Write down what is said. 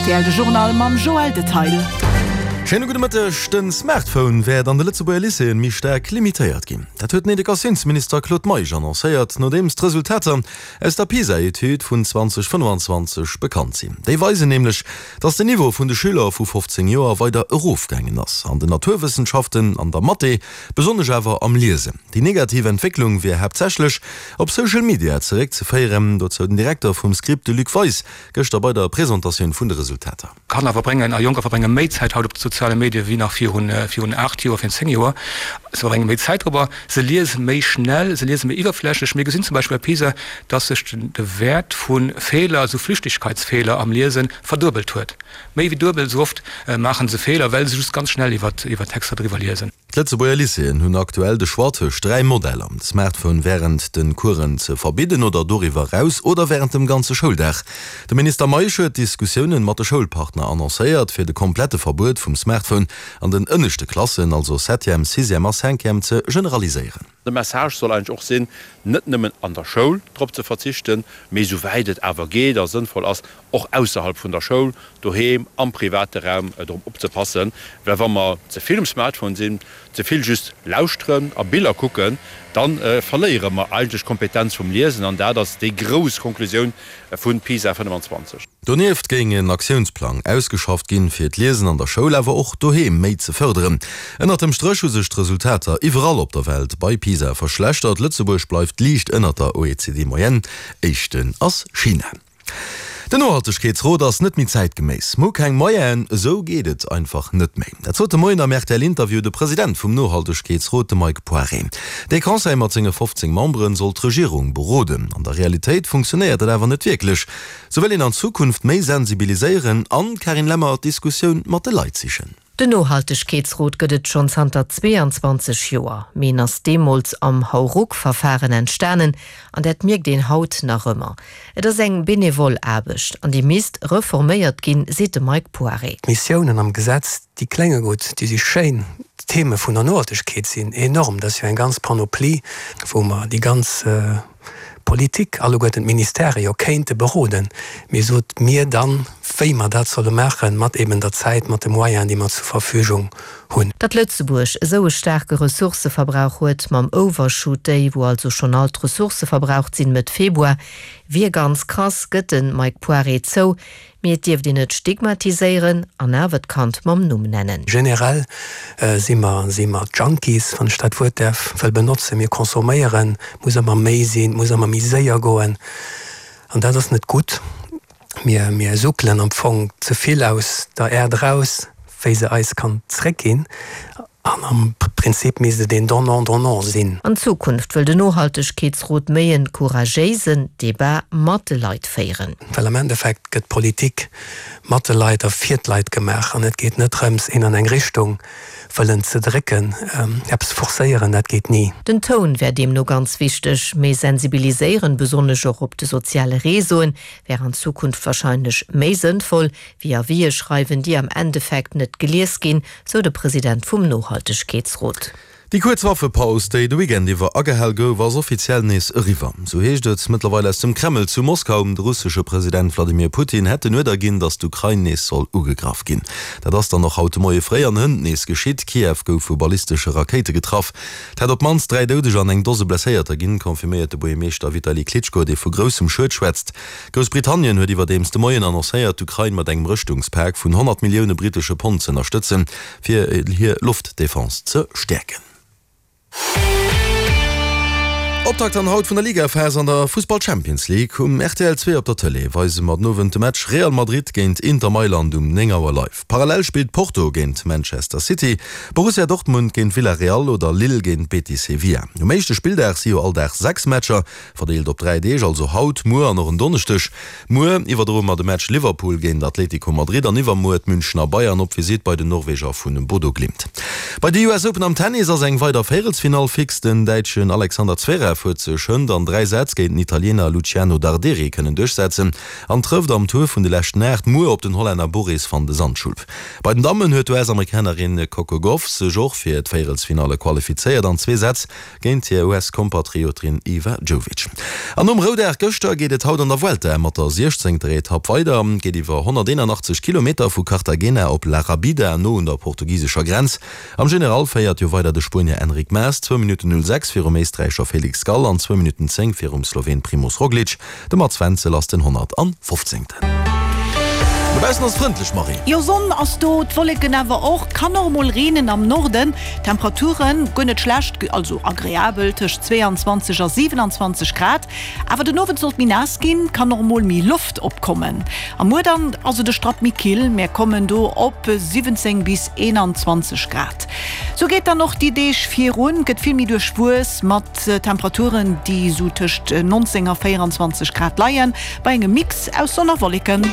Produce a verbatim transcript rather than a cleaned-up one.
rtl, de Journal mam Joël Detail. Schéine gudde Mëtteg. Den Smartphone wäert an de Lëtzebuerger Lycéeën méi staark limitéiert ginn. Dat huet den Educatiounsminister Claude Meisch annoncéiert, nodeems d'Resultater aus der PISA-Etüd vun zwanzeg fënnefanzwanzeg bekannt sinn. Déi weisen nämlech, datt den Niveau vun de Schüler vu fofzéng Joer weider erofgaangen ass, an den Naturwëssenschaften, an der Mathé, besonnesch awer am Liesen. Déi negativ Entwécklung wier haaptsächlech op Social Media zeréckzeféieren, dozou den Direkter vum Script, de Luc Weis, gëschter bei der Presentatioun vun de Resultater. Kanner verbréngen a Jonker verbrénge méi Zäit haut op de soziale Medie wéi nach virun virun aacht Joer, virun zéng Joer. Se verbrénge méi Zäit dorobber, se liese méi schnell, se liese méi iwwerflächlech. Mir gesinn zum Beispill bei PISA, dass sech de Wäert vu Feeler, also Flüchtigkeitsfeeler am Liesen, verduebelt huet. Méi wéi duebel esou oft maache se Feeler, well se just ganz schnell iwwer Texter driwwer liesen. D'Lëtzebuerger Lycéeën hunn aktuell de Choix tëscht dräi Modeller, de Smartphone wärend de Coursen ze verbidden oder doriwwer eraus oder wärend dem ganze Schouldag. De Minister Meisch huet Diskussiounen mat de Schoulpartner annoncéiert, fir de komplette Verbuet vum Smartphone an den ënneschte Klassen, also Septième, Sixième a Cinquième, ze generaliséieren. De Message soll eigentlech och sinn, net nëmmen an der Schoul drop ze verzichten, mee esouwäit et awer geet a sënnvoll ass, och ausserhalb vun der Schoul, doheem, am private Raum drop opzepassen. Well wa mer ze vill um Smartphone sinn, ze vill just lauschteren a Biller kucken, da verléiere mer eigentlech d'Kompetenz vum Liesen. An dat ass déi grouss Konklusioun vu PISA fënnefenzwanzeg. Donieft géing en Aktiounsplang ausgeschafft ginn, fir d'Liesen an der Schoul, awer och doheem méi ze fërderen. Ënnert dem Stréch hu sech d'Resultater iwwerall op der Welt bei PISA verschlechtert. Lëtzebuerg bleift liicht ënnert der O E C D-Moyenne. Éischten ass China. Den Nohaltegkeetsrot ass net méi zäitgeméiss. Mir hu keng Moyenen, esou geet et einfach net méi. Dat sot de Moien am R T L-Interview de President vum Nohaltegkeetsrot, de Mike Poiré. Dee Conseil mat senge fofzéng Memberen soll d'Regierung beroden. An der Realitéit funktionéiert dat awer net wierklech. Sou wëll een an Zukunft méi sensibiliséieren an, Carine Lemmer, d'Diskussioun mat de Leit sichen. Den Nohaltegkeetsrot gëtt et schonn zanter zweeanzwanzeg Joer. Mee en ass deemools am Hauruck-Verfahren entstanen an dat mierkt een haut nach ëmmer. Et ass eng benevol Aarbecht an déi misst reforméiert ginn, seet de Mike Poiré. D'Missiounen am Gesetz, déi klénge gutt, déi si schéin, d'Theme vun der Nohaltegkeet sinn enorm, dat ass jo eng ganz Panoplie, wou mer déi ganz Politik, alleguerten d'Ministèrë jo kéinte beroden, mee sot mir dann, wéi mer dat solle maachen, mat eben der Zäit, mat de Moyenen, déi mer zur Verfügung hunn. Datt Lëtzebuerg esou e staarke Ressourcëverbrauch huet mam Overshoot Day, wou also schonn all d'Ressourcë verbraucht sinn Mëtt Februar, wier ganz krass, gëtt de Mike Poiré zou. Mee et dierft een net stigmatiséieren an awer d'Kand mam Numm nennen. Generell si mer si mer Junkies, wann ech dat Wuert däerf wëll benotzen. Mir consomméieren, et muss ëmmer méi sinn, et muss ëmmer méi séier goen an dat ass net gutt. Mir mir suckelen am Fong ze vill aus der Äerd eraus, wéi se eis kann zréckginn. An am Prinzip misst et een Donnant-donnant sinn. An Zukunft wëll den Nohaltegkeetsrot méi en couragéisen Debat mat de Leit féieren. Well am Endeffekt gëtt Politik mat de Leit a fir d'Leit gemaach an et geet net drëms, een an eng Richtung wëllen ze drécken, eppes forcéieren, dat geet ni. Den Toun wär deemno ganz wichteg. Méi sensibiliséieren, besonnesch och op de soziale Réseauen, wär an Zukunft warscheinlech méi sënnvoll, wéi Avisë schreiwen, déi am Endeffekt net gelies ginn, sou de President vum Nohaltegkeetsrot. Déi kuerz Waffepaus, déi de Weekend iwwer agehal gouf, ass offiziell nees eriwwer. Sou heescht et mëttlerweil aus dem Kreml zu Moskau. De russesche President Wladimir Putin hätt den Uerder ginn, datt d'Ukrain nees soll ugegraff ginn. Dat ass dann och haut de Moie fréi an hënt nees geschitt. Kiew gouf vu ballistesche Rakéite getraff. Et hätt op d'mannst dräi Doudeger an eng Dose Blesséierter ginn, confirméiert de Buergermeeschter Vitali Klitschko, dee vu groussem Schued schwätzt. Groussbritannien huet iwwerdeems de Moien annoncéiert, d'Ukrain mat engem Rëschtungspak vun honnert Millioune brittesche Pond z'ënnerstëtzen, fir hir Loftdefense ze stäerken. Optakt dann haut vun der Ligaphas an der Fussball Champions League. Um R T L zwee op der Tëlee weise mer den Owend de Match Real Madrid géint Inter Mailand um néng Auer live. Parallel spillt Porto géint Manchester City, Borussia Dortmund géint Villarreal oder Lille géint Betis Sevilla. Um éischte Spilldag si jo all Dag sechs Matcher, verdeelt op dräi Deeg, also haut, muer an och en Donneschdeg. Muer iwwerdroe mer de Match Liverpool géint Atlético Madrid an iwwermuer d'Münchener Bayern op Visitt bei den Norweger vu Bodo Glimt. Bei de U S Open am Tennis ass eng weider Véierelsfinall fix. Den Däitschen Alexander Zverev Rublev huet sech hënt an dräi Sätz géint den Italiener Luciano Darderi kënnen duerchsetzen an trëfft am Tour vun de leschten Aacht muer op den Hollänner Boris van de Zandschulp. Bei den Dammen huet d'US-Amerikanerin Coco Gauff sech och fir d'Véierelsfinalle qualifizéiert an zwee Sätz géint hir US-Kompatriotin Iva Jovic. An nom Roudag gëschter geet et haut an der Vuelta mat der siechzéngter Etapp weider. Et geet iwwer honnerteenanachtzeg Kilometer vu Cartagena op La Rabida, no un der portugisescher Grenz. Am General féiert jo weider de Spuenier Enric Mas, zwou Minutten null sechs virum Éisträicher Felix Gall an zwou Minutten zéng virum Sloween Primoz Roglic. De Mats Wenzel ass den honnertfofzéngten. Dobaussen ass et frëndlech, Marie. Jo, Sonn ass do, d'Wolleken awer och. Kann och emol reenen am Norden. Temperaturen guer net schlecht, also agreabel, tëscht zweeanzwanzeg a siwenanzwanzeg Grad. Awer den Owend soll et méi naass ginn, kann och emol méi Loft opkommen. A muer dann ass et e Strapp méi kill, mär kommen do op siwwenzéng bis eenanzwanzeg Grad. Sou geet dann och déi Deeg virun, gëtt vill méi duerchwuess mat Temperaturen, déi sou tëscht nonzéng a véieranzwanzeg Grad leien, bei engem Mix aus Sonn a Wolleken.